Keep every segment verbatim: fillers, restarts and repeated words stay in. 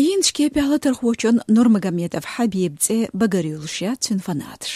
Индж кепехь латархочун Нурмагомедов Хьабиб цӀе багарюлуш яц цуьнан фанаташ.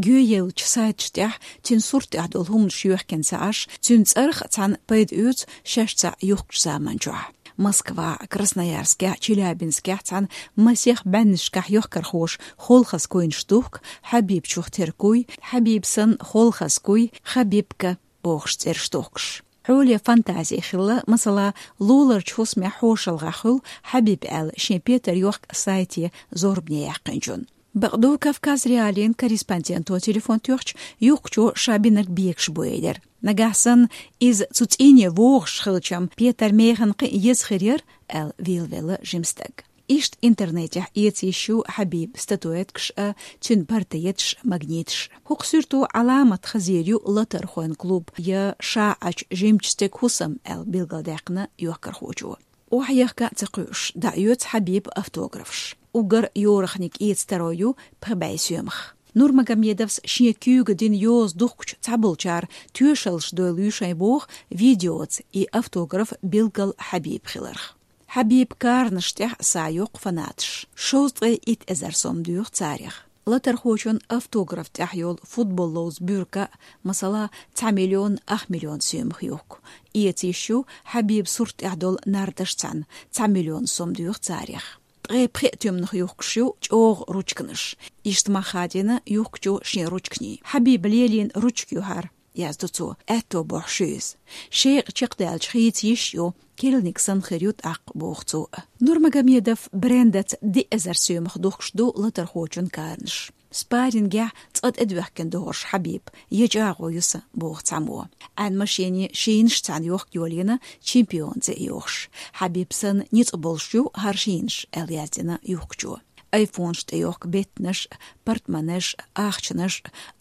Геоеллачу сайташ тӀехь цуьнан сурт тӀехь долу хӀуманаш йоьхкина ца Ӏаш, цуьнан цӀарах цхьаьна пайда оьцу шаьш цхьаъ юхкучу заманчохь. Москва, Красноярскехь, Челябинскехь цхьаьна масех бӀеннашкахь йохкархоша холхазкуйнаш духку Хьабиб чух тера куй, Хьабиб санна холхазкуй, Хабибка бохуш цӀераш духкуш. Хьоле фантази хилла, масала, луларчу хӀусамехь хьошалгӀахь хуьлу Хьабиб аьлла шен петар йохка сайте зорбане яьккхинчун. Бакъду, Кавказ.Реалиин корреспонденто телефон тоьхча, юхкучо ша бинарг бегаш бу элира. Нагахь санна иза цу цӀийне вогӀуш хилчам, петар механа кхин а еза хир яра, аьлла вийлавелла жима стаг. Иштта интернетехь эца йиш ю Хьабиб статуэткаш а, цуьнан портреташ а, магниташ а. ХӀокху суьрто Ӏаламат хазийр ю латархойн клуб я ша Ӏачу жимачу стеган хӀусам аьлла билгалдаьккхина йохкархочо. Охьаехка а ца кхуьуш, дӀаоьцу Хьабиба автографаш. Уггар йорахниг эца таро ю пхи бӀе соьмах. Нурмагомедовс шен куьйга дина йоза духкучу цхьаболчара тоьшаллаш дойла ю шайн боху видеоца и автограф билггал Хьабиба хиларх. Хьабиба каранаш тӀехь са йоккху фанаташ. Шовзткъе итт эзар сом доьху царех. Латархочун автограф тӀехь йолу футбол ловза буьрка, масала, цхьа миллион ах миллион соьмах юхку. Эца йиш ю Хьабиба сурт тӀехь долу нардаш цхьаьна, цхьа миллион сом доьху царех. Ткъе пхи туьманах юхкуш ю чӀогӀа ручканаш. Иштта мах хадийна юхкучо шен ручканий. Хьабиба лелийна ручка ю хӀара, яздо цо, аьтто бохьуш ю иза. Шекъа чекхдаьлча хийца йиш ю, керланиг санна хир ю тӀаккха, боху цо. Нурмагомедов брендаца диъ эзар соьмах духкуш ду латархочун каранаш. Спаррингехь цкъа тӀедоьхкина догӀуш Хьабиб, я чӀагӀо ю сан, боху цхьаммо. Ӏаьнан машене шийнаш цхьаьна йохка йолийна, чемпион цӀе йохуш. Хьабиб санна ницкъ болуш ю хӀара шийнаш, аьлла яздина юхкучо. Айфонаш тӀе йохка беттанаш, портмонеш, ахчанаш,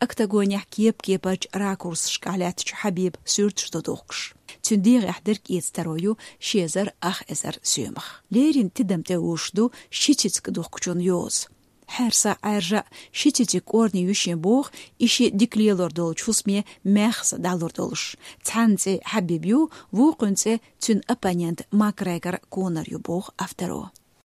октагонехь кеп-кепарчу ракурсашкахь лаьттачу Хьабиба суьрташ ду духкуш. Цуьнан дегӀехь дерг эца таро ю ши эзар ах эзар соьмах. Леррина тидам тӀе уьш ду ши цициг духкучун йоза. Хьерса Ӏаьржа ши цициг кӀорни ю шен боху, и ши дика лелор долчу хӀусаме маьхза дӀалур долуш. Цхьанна цӀе Хьабиб ю, вукхуьнан цӀе цуьнан оппонент Макгрегор Конор ю, боху авторо.